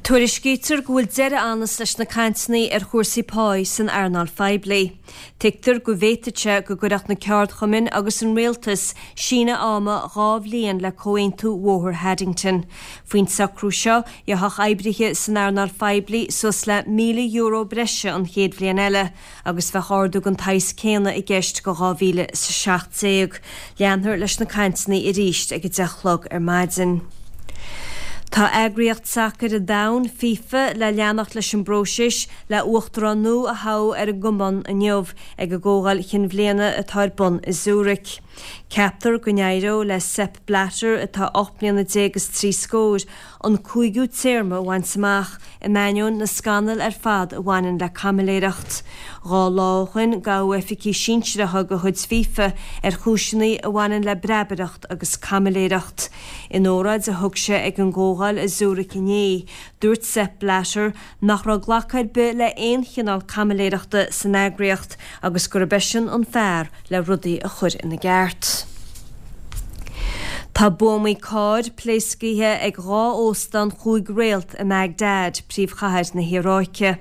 Tuairiscítear go bhfuil deireadh anns leis na cainteanna ar chúrsaí páí san earnáil phoiblí. Tuigtear go bhféadfadh sé go gcuirfeadh na ceardchumainn agus an rialtas síneadh ama 2 bhliain le Comhaontú Bhóthar Haddington. Faoin socrú seo, gheobhadh oibrithe san earnáil phoiblí suas le €1,000 breise an chéad bhliain eile. agus bheadh ardú den tsaghas céanna i gceist go 2017. Leanfar leis na cainteanna arís ag 10 a chlog ar maidin. Tá Eagraíocht Sacair an Domhain, FIFA, le leanacht leis an bpróiseas le uachtarán nua a thoghadh ar an gcumann inniu ag a gcomhdháil chinn bhliana atá ar bun i Zurich. Ceaptar go n-éireoidh le Sepp Blatter, atá 18 mbliana is 3 scór, an cúigiú téarma a bhaint amach, in ainneoin na scannal ar fad a bhaineann le caimiléireacht. 2 lá ó shoin gabhadh oifigigh sinsearacha de chuid FIFA ar chúiseanna a bhaineann le breabaireacht agus caimiléireacht. In óráid a thug sé ag an gcomhdháil i Zurich inné, dúirt Sepp Blatter nach raibh glacadh ar bith le aon chineál caimiléireachta san eagraíocht agus gurb eisean an fear le rudaí a chur ina gceart. Tá buamaí cairr pléascaithe ag 2 óstán chúig réalt i mBagdad, príomhchathair na hIaráice.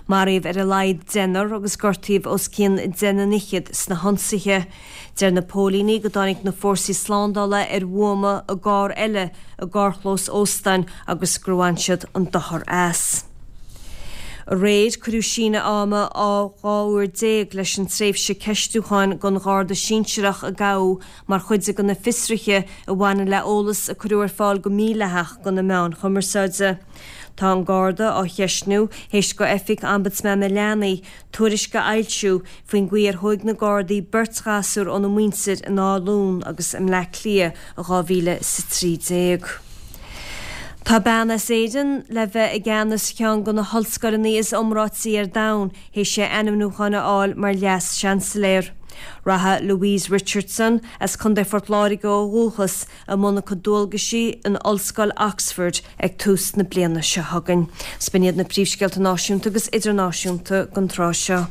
Maraíodh ar a laghad deichniúr agus gortaíodh os cionn 10 na ndaichead sna hionsaithe. Deir na póilíní go dtáinig na fórsaí slándála ar bhuama i gcarr eile i gcarrchlós óstáin agus gur bhain siad an dochar as. Aréir, cuireadh síneadh ama 12 uair leis an tréimhse ceistiúcháin don Gharda sinsearach a gabhadh mar chuid de na fiosruithe a bhaineann le eolas a cuireadh ar fáil go mídhleathach do na meáin chumarsáide. Tá an Garda á cheistniú théis do Oifig Ombudsman na Leanaí tuairisc a fhoilsiú faoin gcaoi ar thóig na Gardaí beirt ghasúr óna muintir in Áth Luain agus i mBleá Cliath i 2013. Tá bean as Éirinn le bheith i gceannas cheann de na hollscoileanna is iomráití ar domhan théis di ainmniúchán a fháil mar Leas-Seansailéir. Rachaidh Louise Richardson, as Contae Phort Láirge ó dhúchas, i mbun a cuid dualgaisí in Ollscoil Oxford ag tús na bliana seo chugainn. 'S b'in iad na príomhscéalta náisiúnta agus idirnáisiúnta don tráth seo.